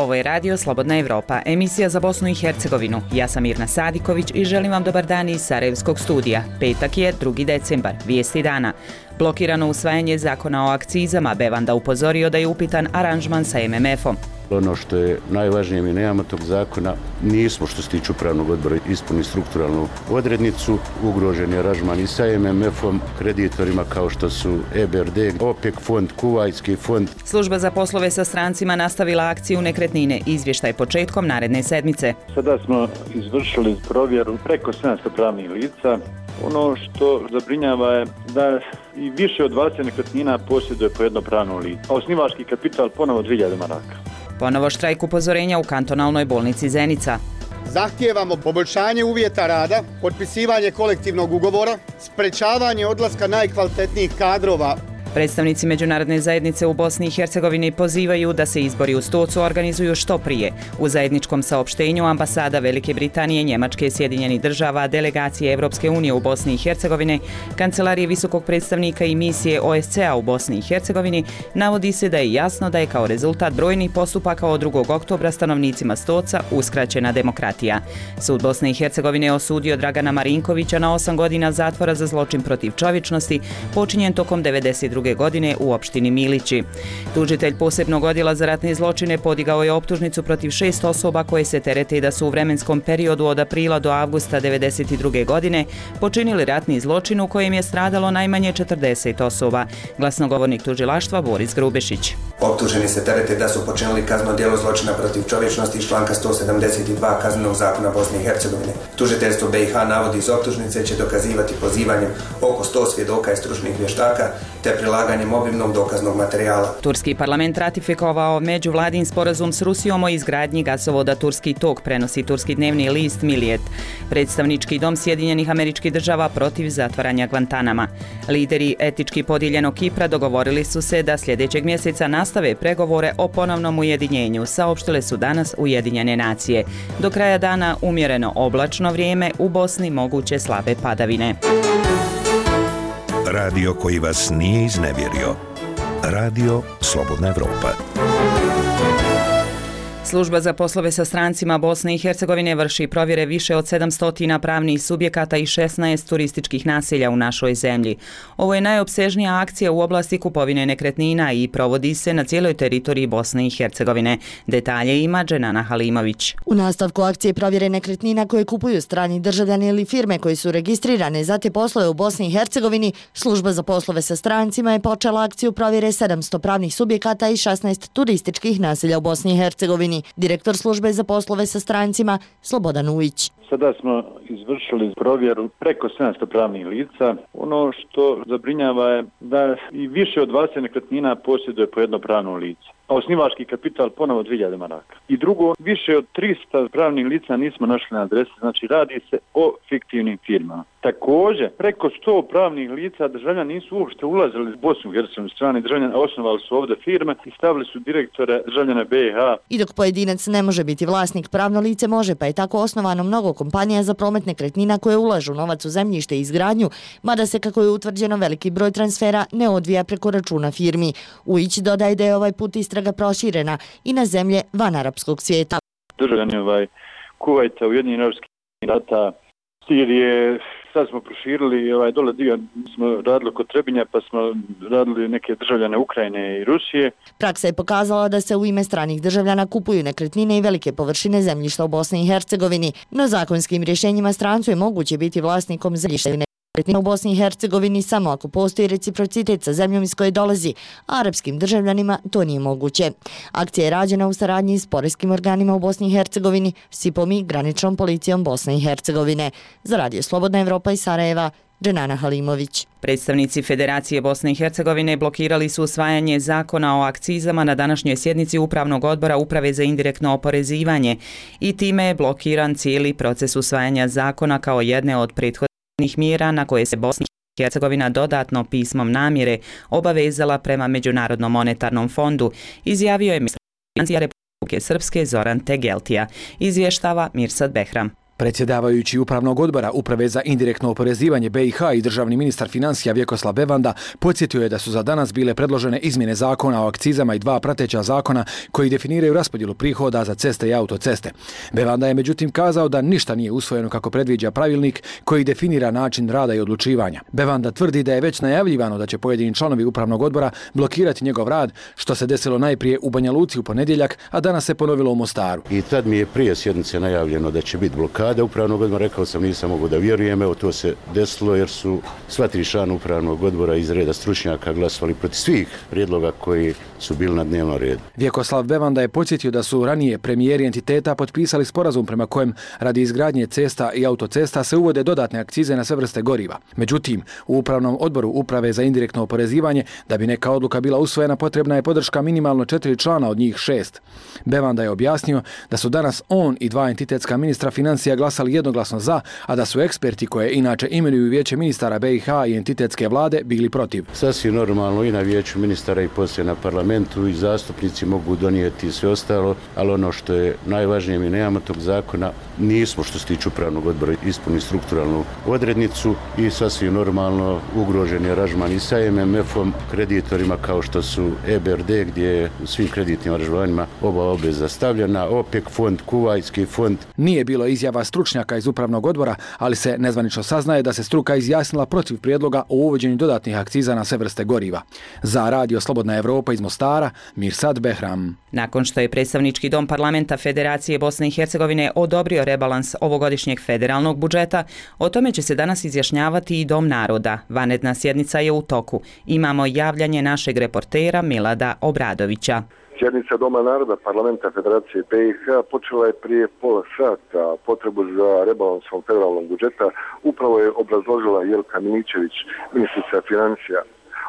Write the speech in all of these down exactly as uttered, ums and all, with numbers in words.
Ovo je Radio Slobodna Evropa, emisija za Bosnu i Hercegovinu. Ja sam Mirna Sadiković i želim vam dobar dan iz Sarajevskog studija. Petak je drugi decembar, vijesti dana. Blokirano usvajanje zakona o akcizama, Bevanda upozorio da je upitan aranžman sa em em efom. Ono što je najvažnije, mi nemamo tog zakona, nismo što se tiče upravnog odbora ispuni strukturalnu odrednicu, ugrožen je aranžman i sa em em efom, kreditorima kao što su e be er de, OPEC fond, Kuvajski fond. Služba za poslove sa strancima nastavila akciju nekretnine, izvještaj početkom naredne sedmice. Sada smo izvršili provjeru preko sedamsto pravnih lica. Ono što zabrinjava je da i više od dvadeset nekretnina posjeduje po jedno pravno lice, a osnivački kapital ponovo dvije hiljade maraka. Ponovo štrajk upozorenja u kantonalnoj bolnici Zenica. Zahtijevamo poboljšanje uvjeta rada, potpisivanje kolektivnog ugovora, sprečavanje odlaska najkvalitetnijih kadrova. Predstavnici međunarodne zajednice u Bosni i Hercegovini pozivaju da se izbori u Stocu organizuju što prije. U zajedničkom saopštenju ambasada Velike Britanije, Njemačke, Sjedinjenih država, delegacije Evropske unije u Bosni i Hercegovini, kancelarije visokog predstavnika i misije o es ce a u Bosni i Hercegovini, navodi se da je jasno da je kao rezultat brojnih postupaka od drugog oktobra stanovnicima Stoca uskraćena demokratija. Sud Bosne i Hercegovine je osudio Dragana Marinkovića na osam godina zatvora za zločin protiv čovječnosti počinjen tokom devedeset druge godine u opštini Milići. Tužitelj posebnog odjela za ratne zločine podigao je optužnicu protiv šest osoba koje se terete da su u vremenskom periodu od aprila do avgusta devedeset druge godine počinili ratni zločin u kojem je stradalo najmanje četrdeset osoba. Glasnogovornik tužilaštva Boris Grubešić. Optuženi se terete da su počinili kazneno djelo zločina protiv čovječnosti iz članka sto sedamdeset dva Kaznenog zakona Bosne i Hercegovine. Tužiteljstvo be i ha navodi iz optužnice će dokazivati pozivanjem oko sto svjedoka i stručnih vještaka te prilaganjem obimnog dokaznog materijala. Turski parlament ratifikovao međuvladin sporazum s Rusijom o izgradnji gasovoda Turski tok, prenosi turski dnevni list Milijet. Predstavnički dom Sjedinjenih Američkih Država protiv zatvaranja Guantanama. Lideri etički podijeljenog Kipra dogovorili su se da sljedećeg mjeseca nastave pregovore o ponovnom ujedinjenju, saopštile su danas Ujedinjene nacije. Do kraja dana umjereno oblačno vrijeme, u Bosni moguće slabe padavine. Radio koji vas nije iznevjerio. Radio Slobodna Evropa. Služba za poslove sa strancima Bosne i Hercegovine vrši provjere više od sedamsto pravnih subjekata i šesnaest turističkih naselja u našoj zemlji. Ovo je najopsežnija akcija u oblasti kupovine nekretnina i provodi se na cijeloj teritoriji Bosne i Hercegovine. Detalje ima Dženana Halimović. U nastavku akcije provjere nekretnina koje kupuju strani državljani ili firme koji su registrirane za te poslove u Bosni i Hercegovini, Služba za poslove sa strancima je počela akciju provjere sedamsto pravnih subjekata i šesnaest turističkih naselja u Bosni i Hercegovini. Direktor službe za poslove sa strancima Slobodan Ujić. Sada smo izvršili provjeru preko sedamsto pravnih lica. Ono što zabrinjava je da i više od dvadeset nekretnina posjeduje po jedno pravno lice, a osnivački kapital ponovo dvije hiljade maraka. I drugo, više od tristo pravnih lica nismo našli na adresi, znači radi se o fiktivnim firmama. Također, preko sto pravnih lica državljani nisu uopšte ulazili u Bosnu i Hercegovinu, strani državljani osnovali su ovdje firme i stavili su direktore državljana be i ha. I dok pojedinac ne može biti vlasnik, pravno lice može, pa je tako osnovano mnogo kompanija za promet nekretnina koje ulažu novac u zemljište i izgradnju, mada se, kako je utvrđeno, veliki broj transfera ne odvija preko računa firmi. Ujić dodaje da je ovaj put istraga proširena i na zemlje van arapskog svijeta. Državljani ovaj, Kuvajta, Ujedinjenih Arapskih Emirata, Sirije, sad smo proširili, ovaj, dole dio smo radili kod Trebinja, pa smo radili neke državljane Ukrajine i Rusije. Praksa je pokazala da se u ime stranih državljana kupuju nekretnine i velike površine zemljišta u Bosni i Hercegovini, no zakonskim rješenjima strancu je moguće biti vlasnikom zemljišta u Bosni i Hercegovini samo ako postoji reciprocitet sa zemljom iz koje dolazi, a arapskim državljanima to nije moguće. Akcija je rađena u saradnji s poreskim organima u Bosni i Hercegovini, S I P-om i graničnom policijom Bosne i Hercegovine. Za Radio Slobodna Evropa iz Sarajeva, Dženana Halimović. Predstavnici Federacije Bosne i Hercegovine blokirali su usvajanje zakona o akcizama na današnjoj sjednici Upravnog odbora Uprave za indirektno oporezivanje i time je blokiran cijeli proces usvajanja zakona kao jedne od prethodnih mjera na koje se Bosna i Hercegovina dodatno pismom namjere obavezala prema Međunarodnom monetarnom fondu, izjavio je ministar financija Republike Srpske Zoran Tegeltija, izvještava Mirsad Behram. Predsjedavajući upravnog odbora Uprave za indirektno oporezivanje B i H i državni ministar financija Vjekoslav Bevanda podsjetio je da su za danas bile predložene izmjene zakona o akcizama i dva prateća zakona koji definiraju raspodjelu prihoda za ceste i autoceste. Bevanda je međutim kazao da ništa nije usvojeno kako predviđa pravilnik koji definira način rada i odlučivanja. Bevanda tvrdi da je već najavljivano da će pojedini članovi upravnog odbora blokirati njegov rad, što se desilo najprije u Banja Luci u ponedjeljak, a danas se ponovilo u Mostaru. I tad mi je prije sjednice najavljeno da će biti blokada upravnog odbora, rekao sam nisam mogu da vjerujem, evo to se desilo jer su sva tri člana upravnog odbora iz reda stručnjaka glasovali protiv svih prijedloga koji su bili na dnevnom redu. Vjekoslav Bevanda je podsjetio da su ranije premijeri entiteta potpisali sporazum prema kojem radi izgradnje cesta i autocesta se uvode dodatne akcize na sve vrste goriva. Međutim, u upravnom odboru Uprave za indirektno oporezivanje, da bi neka odluka bila usvojena, potrebna je podrška minimalno četiri člana od njih šest. Bevanda je objasnio da su danas on i dva entitetska ministra financija glasali jednoglasno za, a da su eksperti koje inače imenuju vijeće ministara B i H i entitetske vlade bili protiv. Sasvim normalno i na vijeću ministara i poslije na parlamentu i zastupnici mogu donijeti sve ostalo, ali ono što je najvažnije, mi nemamo tog zakona, nismo što se tiče upravnog odbora ispunili strukturalnu odrednicu i sasvim normalno ugrožen je aranžman i sa M M F-om, kreditorima kao što su E B R D gdje je u svim kreditnim aranžmanima oba obveza stavljena, OPEC fond, Kuvajski fond. Nije bilo izjava stručnjaka iz upravnog odbora, ali se nezvanično saznaje da se struka izjasnila protiv prijedloga o uvođenju dodatnih akciza na sve vrste goriva. Za Radio Slobodna Evropa iz Mostara, Mirsad Behram. Nakon što je predstavnički dom parlamenta Federacije Bosne i Hercegovine odobrio rebalans ovogodišnjeg federalnog budžeta, o tome će se danas izjašnjavati i Dom naroda. Vanredna sjednica je u toku. Imamo javljanje našeg reportera Milada Obradovića. Sjednica Doma naroda parlamenta Federacije B i H počela je prije pola sata. Potrebu za rebalansom federalnog budžeta upravo je obrazložila Jelka Miličević, ministrica financija.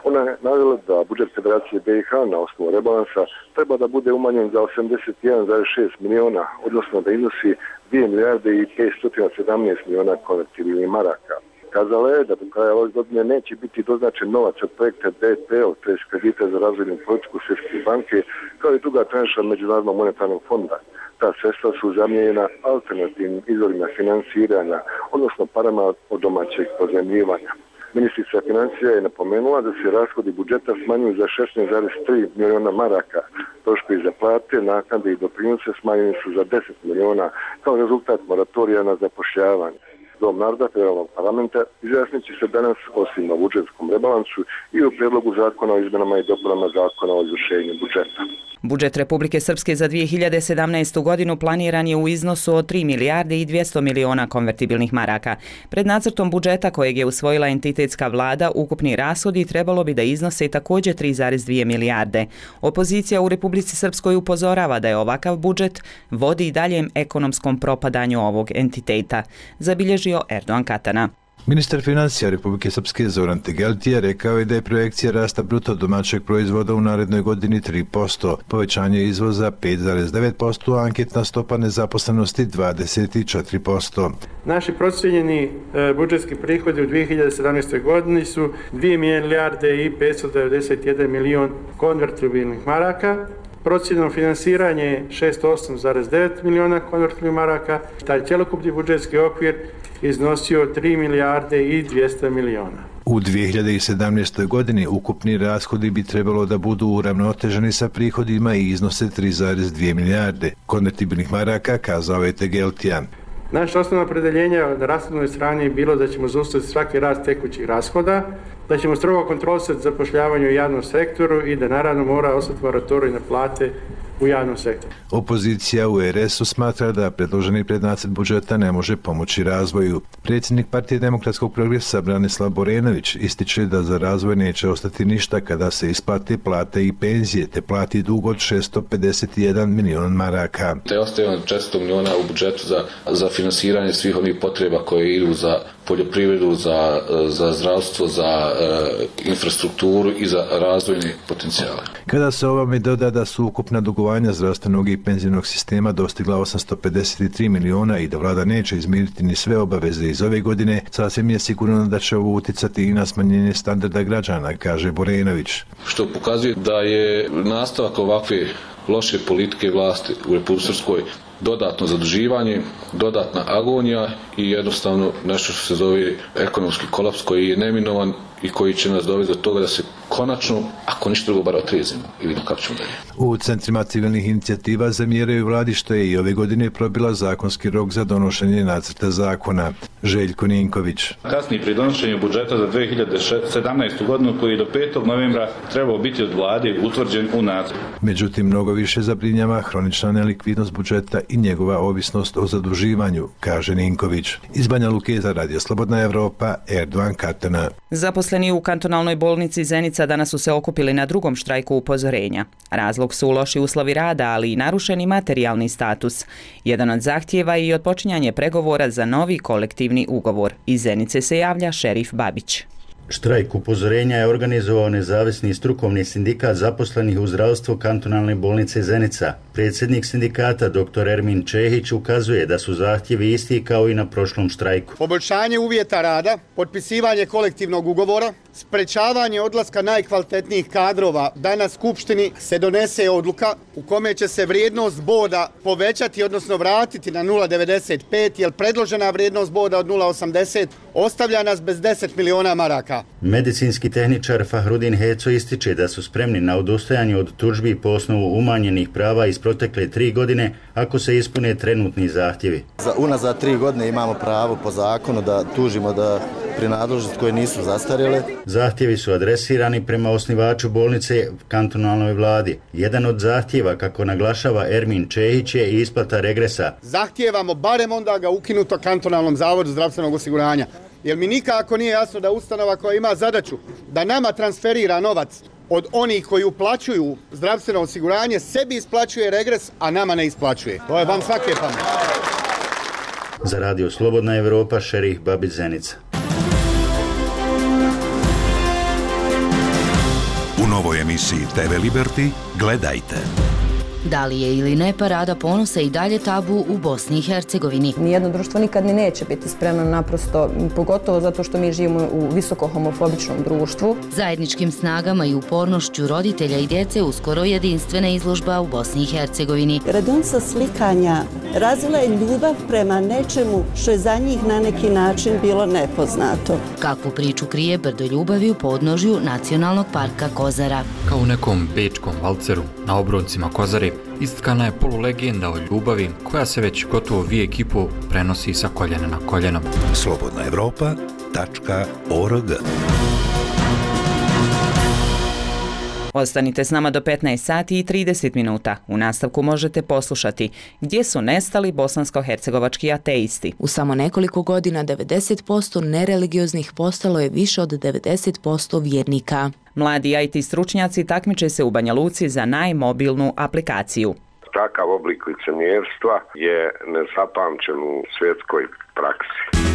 Ona je navela da budžet Federacije B i H na osnovu rebalansa treba da bude umanjen za osamdeset jedan zarez šest miliona, odnosno da iznosi dvije milijarde i petsto sedamnaest miliona konvertibilnih maraka. Kazala je da do kraja ove godine neće biti doznačen novac od projekta D P L, to je kredita za razvojnu politiku Svjetske banke, kao i druga tranša Međunarodnog monetarnog fonda. Ta sredstva su zamijenjena alternativnim izvorima financiranja, odnosno parama od domaćeg pozajmljivanja. Ministrica financija je napomenula da se rashodi budžeta smanjuju za šesnaest zarez tri miliona maraka. Troškovi za plate, naknade i doprinose smanjeni su za deset miliona kao rezultat moratorija na zapošljavanje. Dom naroda federalnog parlamenta izjasnit će se danas osim na budžetskom rebalansu i u prijedlogu zakona o izmenama i dopunama zakona o izvršenju budžeta. Budžet Republike Srpske za dvije hiljade sedamnaestu. godinu planiran je u iznosu od tri milijarde i dvjesto miliona konvertibilnih maraka. Pred nacrtom budžeta kojeg je usvojila entitetska vlada, ukupni rashodi trebalo bi da iznose također tri zarez dvije milijarde. Opozicija u Republici Srpskoj upozorava da je ovakav budžet vodi daljem ekonomskom propadanju ovog entiteta, zabilježio Erdogan Katana. Ministar financija Republike Srpske Zoran Tegeltija rekao je da je projekcija rasta bruto domaćeg proizvoda u narednoj godini tri posto, povećanje izvoza pet zarez devet posto, a anketna stopa nezaposlenosti dvadeset četiri posto. Naši procijenjeni e, budžetski prihodi u dvije hiljade sedamnaestoj. godini su dvije milijarde i petsto devedeset jedan milion konvertibilnih maraka, procjenom finansiranje je šezdeset osam zarez devet miliona konvertibilnih maraka, taj cjelokupni budžetski okvir iznosio tri milijarde i dvjesto miliona. U dvije hiljade sedamnaestoj. godini ukupni rashodi bi trebalo da budu uravnoteženi sa prihodima i iznose tri zarez dvije milijarde konvertibilnih maraka, kazao je Tegeltija. Naše osnovno opredeljenje na rashodnoj strani je bilo da ćemo zaustaviti svaki rast tekućih rashoda, da ćemo strogo kontrolisati zapošljavanje u javnom sektoru i da naravno mora ostati moratorij na plate u javnom sektoru. Opozicija u R S-u smatra da predloženi prednacrt budžeta ne može pomoći razvoju. Predsjednik Partije demokratskog progresa Branislav Borenović ističe da za razvoj neće ostati ništa kada se isplate plate i penzije, te plati dug od šessto pedeset jedan milion maraka. Te ostaje četiristo miliona u budžetu za, za finansiranje svih onih potreba koje idu za poljoprivredu, za, za zdravstvo, za e, infrastrukturu i za razvojne potencijale. Kada se ovome doda da su ukupna dugovanja zdravstvenog i penzijnog sistema dostigla osamsto pedeset tri miliona i da vlada neće izmiriti ni sve obaveze iz ove godine, sasvim je sigurno da će ovo uticati i na smanjenje standarda građana, kaže Borenović. Što pokazuje da je nastavak ovakve loše politike vlasti u Republici Srpskoj dodatno zaduživanje, dodatna agonija i jednostavno nešto što se zove ekonomski kolaps koji je neminovan i koji će nas dovesti do toga da se konačno, ako ništa drugo, bar otrijezimo i vidimo kako ćemo dalje. U centrima civilnih inicijativa zamjeraju vladi što je i ove godine probila zakonski rok za donošenje nacrta zakona. Željko Ninković. Kasnije pri donošenju budžeta za dve hiljade sedamnaestu. godinu koji je do petog novembra trebao biti od vlade utvrđen u nacrtu. Međutim, mnogo više zabrinjava hronična nelikvidnost budžeta i njegova ovisnost o zaduživanju, kaže Ninković. Iz Banja Luke za Radio Slobodna Evropa, Erdogan Katana. Zaposleni u kantonalnoj bolnici Zenica danas su se okupili na drugom štrajku upozorenja. Razlog su loši uslovi rada, ali i narušeni materijalni status. Jedan od zahtjeva je i otpočinjanje pregovora za novi kolektivni ugovor. Iz Zenice se javlja šerif Babić. Štrajk upozorenja je organizovao nezavisni strukovni sindikat zaposlenih u zdravstvu kantonalne bolnice Zenica. Predsjednik sindikata dr. Ermin Čehić ukazuje da su zahtjevi isti kao i na prošlom štrajku. Poboljšanje uvjeta rada, potpisivanje kolektivnog ugovora, sprečavanje odlaska najkvalitetnijih kadrova, da na skupštini se donese odluka u kome će se vrijednost boda povećati, odnosno vratiti na nula zarez devedeset pet, jer predložena vrijednost boda od nula zarez osamdeset ostavlja nas bez deset miliona maraka. Medicinski tehničar Fahrudin Heco ističe da su spremni na odustajanje od tužbi po osnovu umanjenih prava iz protekle tri godine ako se ispune trenutni zahtjevi. Za unazad tri godine imamo pravo po zakonu da tužimo da prinadležnosti koje nisu zastarjele. Zahtjevi su adresirani prema osnivaču bolnice kantonalnoj vladi. Jedan od zahtjeva, kako naglašava Ermin Čehić, je isplata regresa. Zahtijevamo barem onda ga ukinuto kantonalnom zavodu zdravstvenog osiguranja. Jer mi nikako nije jasno da ustanova koja ima zadaću da nama transferira novac od onih koji uplaćuju zdravstveno osiguranje, sebi isplaćuje regres, a nama ne isplaćuje. To je vam svake pameti. Za Radio Slobodna Evropa, šerif Babić, Zenica. U novoj emisiji te ve Liberty gledajte. Da li je ili ne parada ponosa i dalje tabu u Bosni i Hercegovini? Nijedno društvo nikad ni neće biti spremno, naprosto, pogotovo zato što mi živimo u visoko homofobičnom društvu. Zajedničkim snagama i upornošću roditelja i djece uskoro jedinstvena izložba u Bosni i Hercegovini. Radionica slikanja razvila je ljubav prema nečemu što je za njih na neki način bilo nepoznato. Kakvu priču krije brdo ljubavi u podnožju Nacionalnog parka Kozara? Kao u nekom bečkom valceru na obroncima Kozare istkana je polulegenda o ljubavi koja se već gotovo vijek i pol prenosi sa koljena na koljeno. slobodna evropa tačka org. Ostanite s nama do petnaest sati i trideset minuta. U nastavku možete poslušati gdje su nestali bosansko-hercegovački ateisti. U samo nekoliko godina devedeset posto nereligioznih postalo je više od devedeset posto vjernika. Mladi i te stručnjaci takmiče se u Banja Luci za najmobilnu aplikaciju. Takav oblik licemjerstva je nezapamćen u svjetskoj praksi.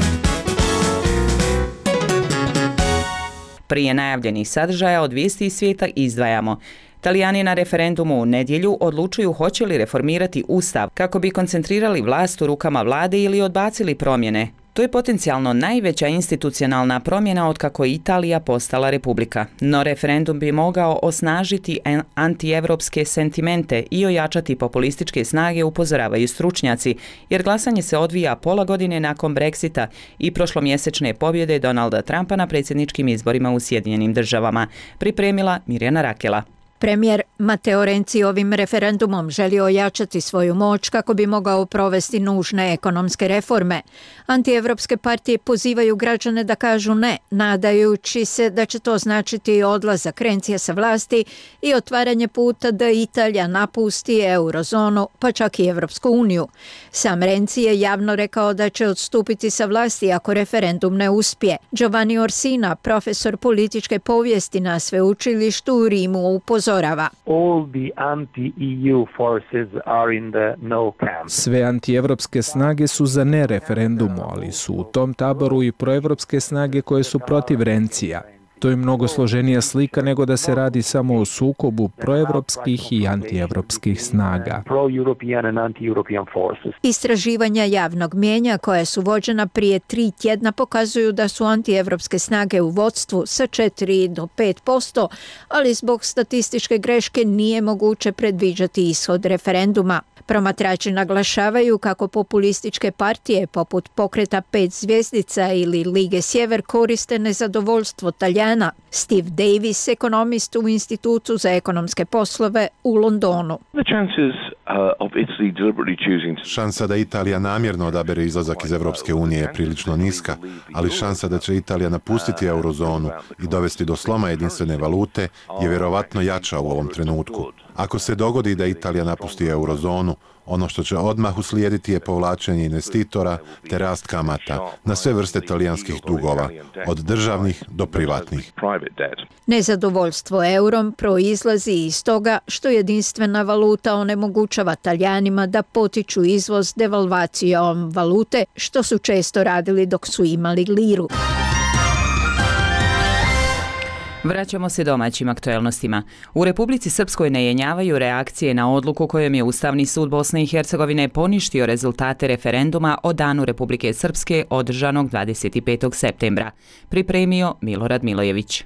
Prije najavljenih sadržaja od vijesti iz svijeta izdvajamo. Talijani na referendumu u nedjelju odlučuju hoće li reformirati ustav kako bi koncentrirali vlast u rukama vlade ili odbacili promjene. To je potencijalno najveća institucionalna promjena otkako je Italija postala republika. No referendum bi mogao osnažiti antievropske sentimente i ojačati populističke snage, upozoravaju stručnjaci, jer glasanje se odvija pola godine nakon Brexita i prošlomjesečne pobjede Donalda Trumpa na predsjedničkim izborima u Sjedinjenim državama. Pripremila Mirjana Rakela. Premijer Matteo Renzi ovim referendumom želi ojačati svoju moć kako bi mogao provesti nužne ekonomske reforme. Antievropske partije pozivaju građane da kažu ne, nadajući se da će to značiti odlazak Renzija sa vlasti i otvaranje puta da Italija napusti eurozonu, pa čak i Evropsku uniju. Sam Renzi je javno rekao da će odstupiti sa vlasti ako referendum ne uspije. Giovanni Orsina, profesor političke povijesti na sveučilištu u Rimu, upozorava. Sve antievropske snage su za ne referendumu, ali su u tom taboru i proevropske snage koje su protiv Renzija. To je mnogo složenija slika nego da se radi samo o sukobu proevropskih i antievropskih snaga. Istraživanja javnog mijenja koja su vođena prije tri tjedna pokazuju da su antievropske snage u vodstvu sa četiri do pet posto, ali zbog statističke greške nije moguće predviđati ishod referenduma. Promatrači naglašavaju kako populističke partije poput Pokreta pet zvjezdica ili Lige Sjever koriste nezadovoljstvo Taljana. Steve Davis, ekonomist u Institutu za ekonomske poslove u Londonu. Šansa da Italija namjerno odabere izlazak iz Europske unije je prilično niska, ali šansa da će Italija napustiti eurozonu i dovesti do sloma jedinstvene valute je vjerovatno jača u ovom trenutku. Ako se dogodi da Italija napusti eurozonu, ono što će odmah uslijediti je povlačenje investitora te rast kamata na sve vrste talijanskih dugova, od državnih do privatnih. Nezadovoljstvo eurom proizlazi iz toga što jedinstvena valuta onemogućava Taljanima da potiču izvoz devalvacijom valute, što su često radili dok su imali liru. Vraćamo se domaćim aktuelnostima. U Republici Srpskoj ne jenjavaju reakcije na odluku kojom je Ustavni sud Bosne i Hercegovine poništio rezultate referenduma o Danu Republike Srpske održanog dvadeset petog septembra. Pripremio Milorad Milojević.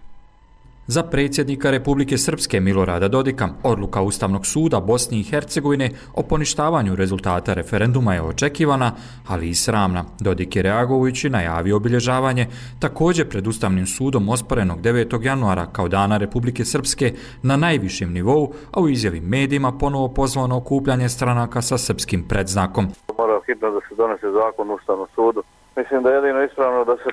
Za predsjednika Republike Srpske Milorada Dodika, odluka Ustavnog suda Bosne i Hercegovine o poništavanju rezultata referenduma je očekivana, ali i sramna. Dodik je reagujući najavio obilježavanje također pred Ustavnim sudom osporenog devetog januara kao Dana Republike Srpske na najvišem nivou, a u izjavi medijima ponovo pozvao na okupljanje stranaka sa srpskim predznakom. Mora hitno da se donese zakon u Ustavnom sudu. Mislim da je jedino ispravno da se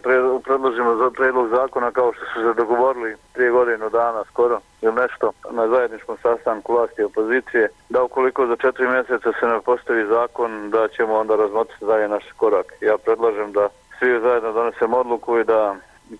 predložimo za predlog zakona kao što su se dogovorili prije godinu dana skoro ili nešto na zajedničkom sastanku vlasti i opozicije, da ukoliko za četiri mjeseca se ne postavi zakon, da ćemo onda razmotriti dalje naš korak. Ja predlažem da svi zajedno donesemo odluku i da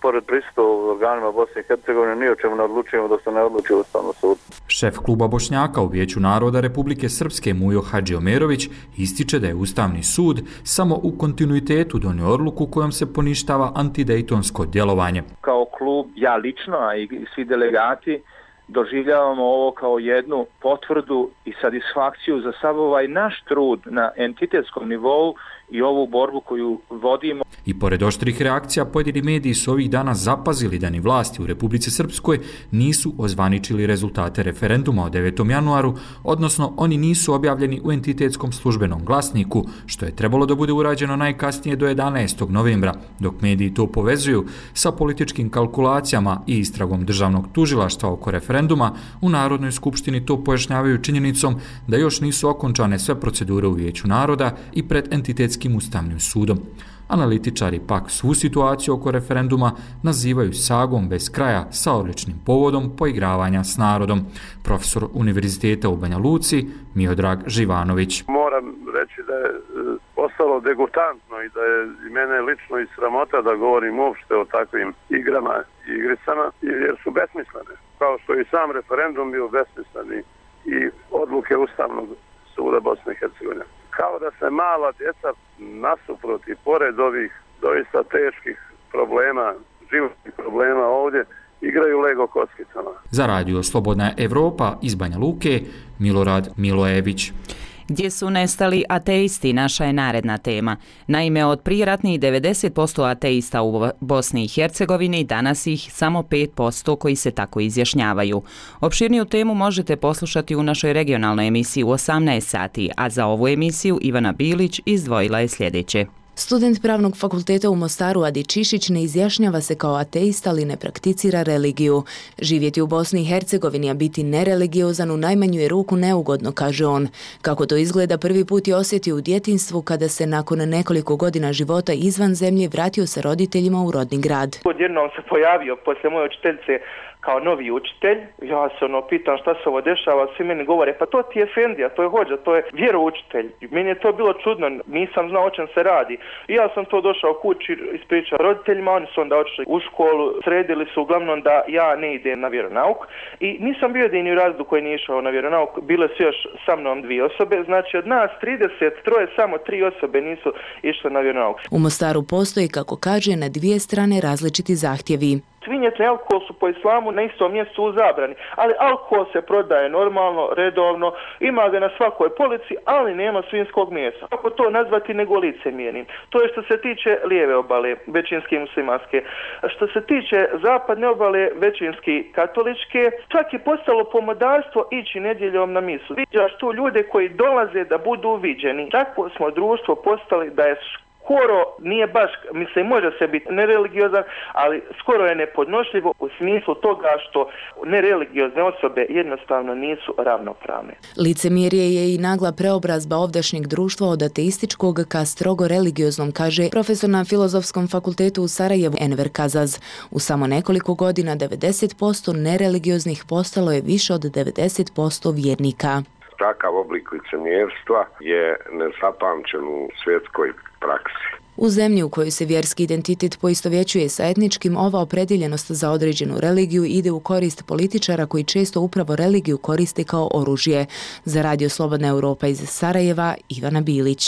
pored pristupa u organima Bosne i Hercegovine ni o čemu ne odlučujemo dok se ne odluči Ustavni sud. Šef kluba Bošnjaka u Vijeću naroda Republike Srpske Mujo Hadžiomerović ističe da je Ustavni sud samo u kontinuitetu donio odluku kojom se poništava antidejtonsko djelovanje. Kao klub, ja lično, a i svi delegati, doživljavamo ovo kao jednu potvrdu i satisfakciju za sav ovaj naš trud na entitetskom nivou i ovu borbu koju vodimo. I pored oštrih reakcija, pojedini mediji su ovih dana zapazili da ni vlasti u Republici Srpskoj nisu ozvaničili rezultate referenduma o devetom januaru, odnosno oni nisu objavljeni u entitetskom službenom glasniku, što je trebalo da bude urađeno najkasnije do jedanaestog novembra, dok mediji to povezuju sa političkim kalkulacijama i istragom državnog tužilaštva oko referenduma. U Narodnoj skupštini to pojašnjavaju činjenicom da još nisu okončane sve procedure u Vijeću naroda i pred entitetskim Ustavnim sudom. Analitičari pak svu situaciju oko referenduma nazivaju sagom bez kraja sa odličnim povodom poigravanja s narodom. Profesor Univerziteta u Banja Luci Miodrag Živanović. Moram reći da je postalo degutantno i da je i mene lično i sramota da govorim uopšte o takvim igrama i igricama, jer su besmislene. Kao što i sam referendum bio besmisleni i odluke Ustavnog suda Bosne i Hercegovine. Kao da se mala djeca nasuprot i pored ovih doista teških problema, životnih problema ovdje, igraju Lego kockicama. Za radio Slobodna Evropa iz Banja Luke, Milorad Milojević. Gdje su nestali ateisti, naša je naredna tema. Naime, od prijeratnih devedeset posto ateista u Bosni i Hercegovini, danas ih samo pet posto koji se tako izjašnjavaju. Opširniju temu možete poslušati u našoj regionalnoj emisiji u osamnaest sati, a za ovu emisiju Ivana Bilić izdvojila je sljedeće. Student Pravnog fakulteta u Mostaru Adi Čišić ne izjašnjava se kao ateista, ali ne prakticira religiju. Živjeti u Bosni i Hercegovini, a biti nereligiozan u najmanju je ruku neugodno, kaže on. Kako to izgleda, prvi put je osjetio u djetinjstvu kada se nakon nekoliko godina života izvan zemlje vratio sa roditeljima u rodni grad. Odjednom se pojavio poslije moje učiteljice kao novi učitelj, ja se ono pitam šta se ovo dešava, svi meni govore, pa to ti je Efendija, to je hođa, to je vjeroučitelj. Meni je to bilo čudno, nisam znao o čem se radi. I ja sam to došao kući, ispričao roditeljima, oni su onda otišli u školu, sredili su uglavnom da ja ne idem na vjeronauk i nisam bio jedini u razredu koji nije išao na vjeronauk, bile su još sa mnom dvije osobe, znači od nas trideset troje samo tri osobe nisu išle na vjeronauk. U Mostaru postoji, kako kaže, na dvije strane različiti zahtjevi. Svinjetne i alkohol su po islamu na istom mjestu u zabrani, ali alkohol se prodaje normalno, redovno, ima ga na svakoj polici, ali nema svinjskog mesa. Kako to nazvati nego licemjernim? To je što se tiče lijeve obale, većinski muslimanske. Što se tiče zapadne obale, većinski katoličke, čak je postalo pomodarstvo ići nedjeljom na misu. Viđaš tu ljude koji dolaze da budu viđeni. Takvo smo društvo postali da je skoro, nije baš, mislim, može se biti nereligiozan, ali skoro je nepodnošljivo u smislu toga što nereligiozne osobe jednostavno nisu ravnopravne. Licemjerje je i nagla preobrazba ovdašnjeg društva od ateističkog ka strogo religioznom, kaže profesor na Filozofskom fakultetu u Sarajevu Enver Kazaz. U samo nekoliko godina devedeset posto nereligioznih postalo je više od devedeset posto vjernika. Takav oblik licemjerstva je nezapamćen u svjetskoj praksi. U zemlji u kojoj se vjerski identitet poistovjećuje sa etničkim, ova opredjeljenost za određenu religiju ide u korist političara koji često upravo religiju koriste kao oružje. Za Radio Slobodna Europa iz Sarajeva, Ivana Bilić.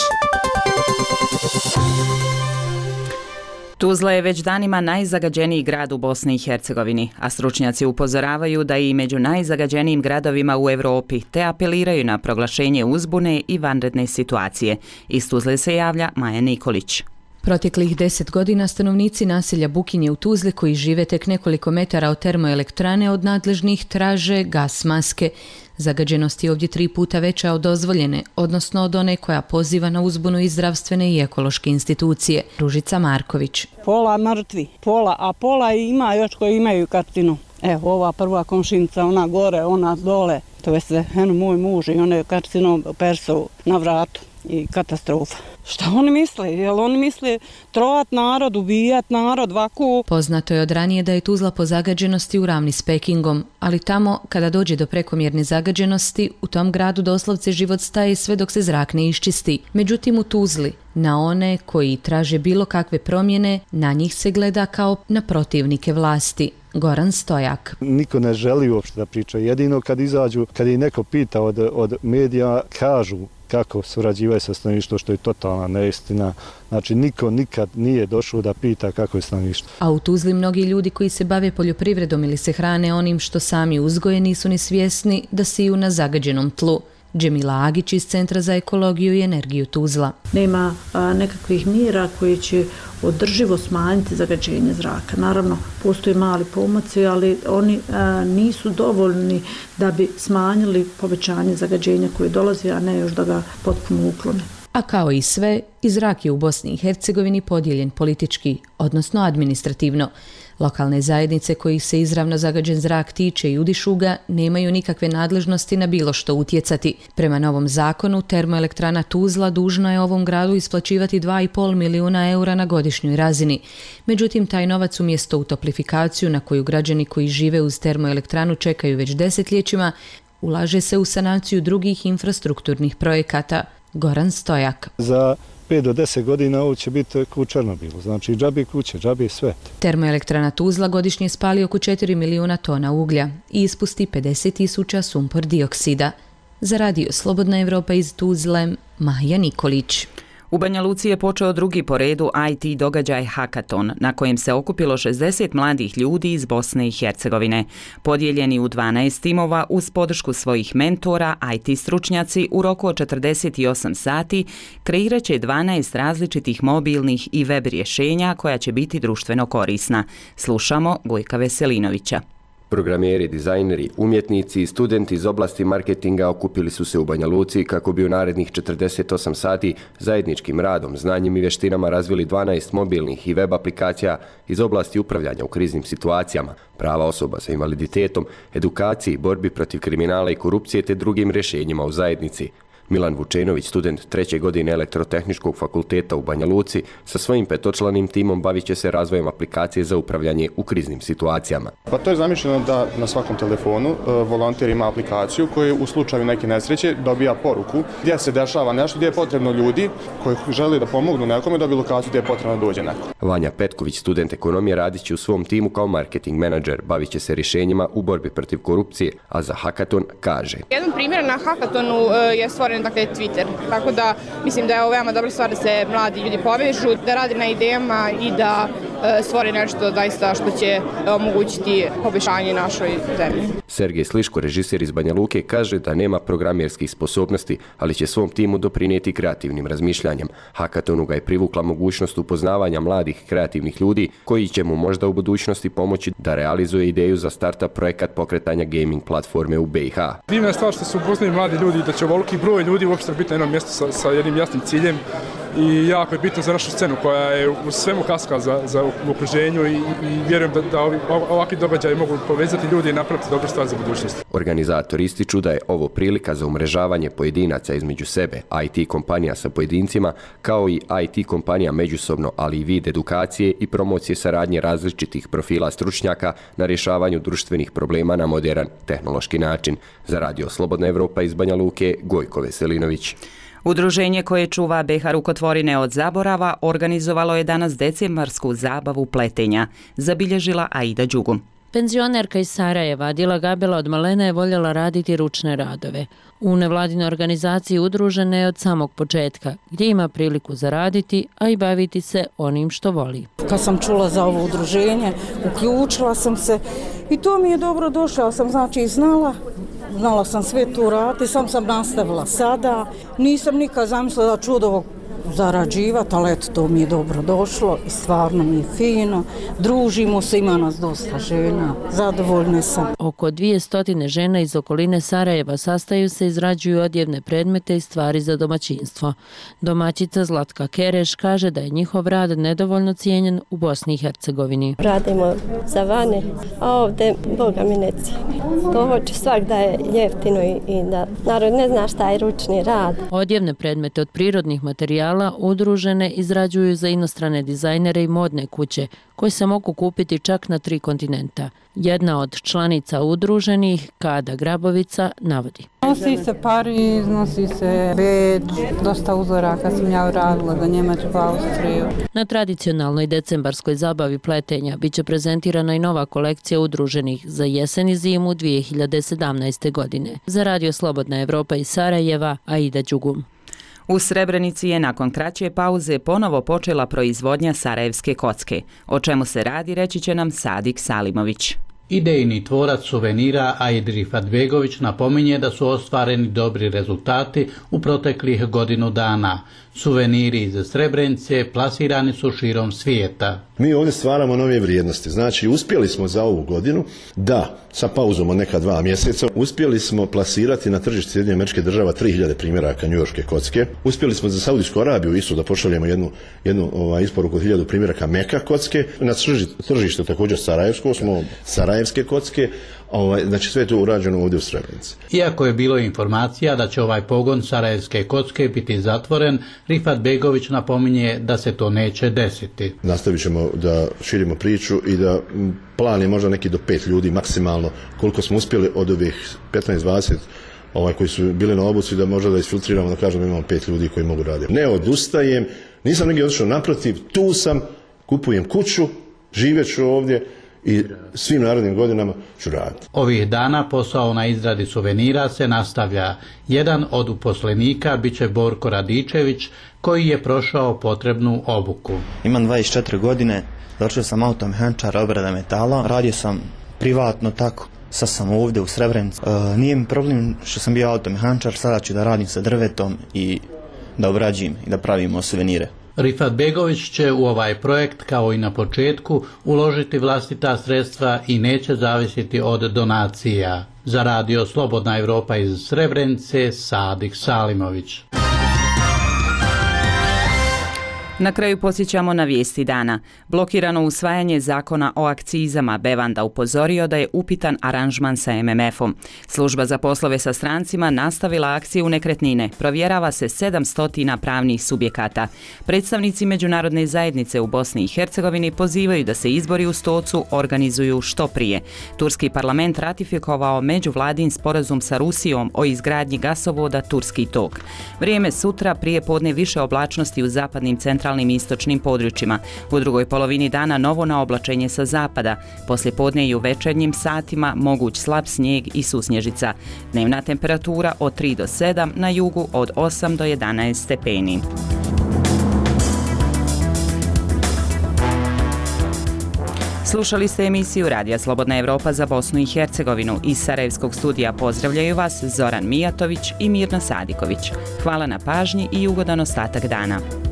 Tuzla je već danima najzagađeniji grad u Bosni i Hercegovini, a stručnjaci upozoravaju da je i među najzagađenijim gradovima u Europi, te apeliraju na proglašenje uzbune i vanredne situacije. Iz Tuzle se javlja Maja Nikolić. Proteklih deset godina stanovnici naselja Bukinje u Tuzli, koji žive tek nekoliko metara od termoelektrane, od nadležnih traže gas maske. Zagađenost je ovdje tri puta veća od dozvoljene, odnosno od one koja poziva na uzbunu iz zdravstvene i ekološke institucije. Ružica Marković. Pola mrtvi, pola, a pola ima još koji imaju karcinu. Evo, ova prva komšinica, ona gore, ona dole, to je se, eno, moj muž i ona je karcinom perso na vratu i katastrofa. Šta oni misle? Jel oni misle trovat narod, ubijat narod, vaku? Poznato je od ranije da je Tuzla po zagađenosti u ravni s Pekingom, ali tamo, kada dođe do prekomjerne zagađenosti, u tom gradu doslovce život staje sve dok se zrak ne iščisti. Međutim, u Tuzli, na one koji traže bilo kakve promjene, na njih se gleda kao na protivnike vlasti. Goran Stojak. Niko ne želi uopšte da priča. Jedino kad izađu, kad ih neko pita od, od medija, kažu kako surađivaju sa stanovništvom, što je totalna neistina. Znači, niko nikad nije došao da pita kako je stanovništvo. A u Tuzli mnogi ljudi koji se bave poljoprivredom ili se hrane onim što sami uzgoje nisu ni svjesni da siju na zagađenom tlu. Džemila Agić iz Centra za ekologiju i energiju Tuzla. Nema a, nekakvih mjera koji će održivo smanjiti zagađenje zraka. Naravno, postoje mali pomaci, ali oni a, nisu dovoljni da bi smanjili povećanje zagađenja koje dolazi, a ne još da ga potpuno uklone. A kao i sve, i zrak je u Bosni i Hercegovini podijeljen politički, odnosno administrativno. Lokalne zajednice kojih se izravno zagađen zrak tiče i udišu ga nemaju nikakve nadležnosti na bilo što utjecati. Prema novom zakonu, termoelektrana Tuzla dužna je ovom gradu isplaćivati dva i pol milijuna eura na godišnjoj razini. Međutim, taj novac umjesto u toplifikaciju na koju građani koji žive uz termoelektranu čekaju već desetljećima, ulaže se u sanaciju drugih infrastrukturnih projekata. Goran Stojak. Za pet do deset godina ovo će biti ku Černobilu. Znači, džabi kuće, džabi sve. Termoelektrana Tuzla godišnje spali oko četiri milijuna tona uglja i ispusti pedeset tisuća sumpor dioksida. Za Radio Slobodna Evropa iz Tuzle, Maja Nikolić. U Banja Luci je počeo drugi po redu I T događaj Hakaton, na kojem se okupilo šezdeset mladih ljudi iz Bosne i Hercegovine. Podijeljeni u dvanaest timova uz podršku svojih mentora, I T stručnjaci u roku od četrdeset osam sati kreirat će dvanaest različitih mobilnih i web rješenja koja će biti društveno korisna. Slušamo Gojka Veselinovića. Programeri, dizajneri, umjetnici i studenti iz oblasti marketinga okupili su se u Banja Luci kako bi u narednih četrdeset osam sati zajedničkim radom, znanjem i vještinama razvili dvanaest mobilnih i web aplikacija iz oblasti upravljanja u kriznim situacijama, prava osoba sa invaliditetom, edukaciji, borbi protiv kriminala i korupcije te drugim rješenjima u zajednici. Milan Vučenović, student treće godine Elektrotehničkog fakulteta u Banja Luci, sa svojim petočlanim timom bavit će se razvojem aplikacije za upravljanje u kriznim situacijama. Pa to je zamišljeno da na svakom telefonu e, volonter ima aplikaciju koju u slučaju neke nesreće dobija poruku gdje se dešava nešto, gdje je potrebno ljudi koji žele da pomognu nekome, dobiju lokaciju gdje je potrebno da dođe neko. Vanja Petković, student ekonomije, radit će u svom timu kao marketing menadžer, bavit će se rješenjima u borbi protiv korupcije, a za Hakaton kaže. Jedan primjer na Hakatonu je stvoren dakle Twitter, tako da mislim da je ovo veoma dobra stvar da se mladi ljudi povežu, da rade na idejama i da stvori nešto zaista što će omogućiti poboljšanje našoj zemlji. Sergej Sliško, režiser iz Banja Luke, kaže da nema programerskih sposobnosti, ali će svom timu doprinijeti kreativnim razmišljanjem. Hakatonu ga je privukla mogućnost upoznavanja mladih kreativnih ljudi koji će mu možda u budućnosti pomoći da realizuje ideju za startup projekat pokretanja gaming platforme u B i H. Divna je stvar što su upoznali mladi ljudi, da će ovoliki broj ljudi uopšte biti na jednom mjestu sa, sa jednim jasnim ciljem i jako je bitno za našu scenu koja je u svemu kaska za, za u okruženju i, i vjerujem da, da ovi, ovakvi događaji mogu povezati ljudi i napraviti dobru stvar za budućnost. Organizatori ističu da je ovo prilika za umrežavanje pojedinaca između sebe, I T kompanija sa pojedincima, kao i I T kompanija međusobno, ali i vid edukacije i promocije saradnje različitih profila stručnjaka na rješavanju društvenih problema na moderan tehnološki način. Za Radio Slobodna Evropa iz Banja Luke, Gojko Veselinović. Udruženje koje čuva B i H rukotvorine od zaborava organizovalo je danas decembarsku zabavu pletenja, zabilježila Aida Đugum. Penzionerka iz Sarajeva, Adila Gabela od malena je voljela raditi ručne radove. U nevladinoj organizaciji udružena je od samog početka, gdje ima priliku zaraditi, a i baviti se onim što voli. Kad sam čula za ovo udruženje, uključila sam se i to mi je dobro došlo, ja sam znači znala. Znala sam sve tu raditi, sam sam nastavila sada. Nisam nikad zamislila da ću od ovog zarađivati, ali eto, to mi je dobro došlo i stvarno mi je fino. Družimo se, ima nas dosta žena, zadovoljne sam. Oko dvjesto žena iz okoline Sarajeva sastaju se, izrađuju odjevne predmete i stvari za domaćinstvo. Domaćica Zlatka Kereš kaže da je njihov rad nedovoljno cijenjen u Bosni i Hercegovini. Radimo za vane, a ovdje Boga mi ne cijeni. To hoće svak da je jeftino i, i da narod ne zna šta je ručni rad. Odjevne predmete od prirodnih materijala udružene izrađuju za inostrane dizajnere i modne kuće, koje se mogu kupiti čak na tri kontinenta. Jedna od članica udruženih, Kada Grabovica, navodi. Nosi se Pariz, nosi se Beč, dosta uzoraka sam ja uradila za Njemačku, Austriju. Na tradicionalnoj decembarskoj zabavi pletenja biće prezentirana i nova kolekcija udruženih za jesen i zimu dvije hiljade sedamnaeste. godine. Za Radio Slobodna Evropa iz Sarajeva, Aida Đugum. U Srebrenici je nakon kraće pauze ponovo počela proizvodnja sarajevske kocke. O čemu se radi, reći će nam Sadik Salimović. Idejni tvorac suvenira Aid Rifadbegović napominje da su ostvareni dobri rezultati u proteklih godinu dana. Suveniri iz Srebrenice plasirani su širom svijeta. Mi ovdje stvaramo nove vrijednosti. Znači, uspjeli smo za ovu godinu da, sa pauzom od neka dva mjeseca, uspjeli smo plasirati na tržište Sjedinjenih Američkih Država tri hiljade primjeraka njujorške kocke. Uspjeli smo za Saudijsku Arabiju isto da pošaljemo jednu, jednu ovaj, isporuku od hiljadu primjeraka meka kocke. Na tržište također sarajevsko smo sarajevske kocke. Ovaj, znači sve je to urađeno ovdje u Srebrenici. Iako je bilo informacija da će ovaj pogon sarajevske kocke biti zatvoren, Rifadbegović napominje da se to neće desiti. Nastavit ćemo da širimo priču i da plan je možda neki do pet ljudi maksimalno, koliko smo uspjeli od ovih petnaest dvadeset ovaj, koji su bili na obuci, da možda da isfiltriramo, da kažemo imamo pet ljudi koji mogu raditi. Ne odustajem, nisam negdje otišao, naprotiv, tu sam, kupujem kuću, živjet ću ovdje i svim narednim godinama ću raditi. Ovih dana posao na izradi suvenira se nastavlja. Jedan od uposlenika biće Borko Radičević, koji je prošao potrebnu obuku. Imam dvadeset četiri godine, došao sam automehaničar obrada metala, radio sam privatno tako. Sad sam ovdje u Srebrenici. E, nije mi problem što sam bio automehaničar, sada ću da radim sa drvetom i da obrađujem i da pravimo suvenire. Rifadbegović će u ovaj projekt, kao i na početku, uložiti vlastita sredstva i neće zavisiti od donacija. Za Radio Slobodna Evropa iz Srebrenice, Sadik Salimović. Na kraju podsjećamo na vijesti dana. Blokirano usvajanje zakona o akcizama. Bevanda upozorio da je upitan aranžman sa M M F-om. Služba za poslove sa strancima nastavila akciju nekretnine. Provjerava se sedamsto pravnih subjekata. Predstavnici međunarodne zajednice u Bosni i Hercegovini pozivaju da se izbori u Stocu organizuju što prije. Turski parlament ratifikovao međuvladin sporazum sa Rusijom o izgradnji gasovoda Turski tok. Vrijeme sutra, prije podne više oblačnosti u zapadnim centralnim centralnim i istočnim područjima. U drugoj polovini dana novo naoblačenje sa zapada. Poslije podne i u večernjim satima moguć slab snijeg i susnježica. Dnevna temperatura od tri do sedam, na jugu od osam do jedanaest stepeni. Slušali ste emisiju Radija Slobodna Evropa za Bosnu i Hercegovinu. Iz Sarajevskog studija pozdravljaju vas Zoran Mijatović i Mirna Sadiković. Hvala na pažnji i ugodan ostatak dana.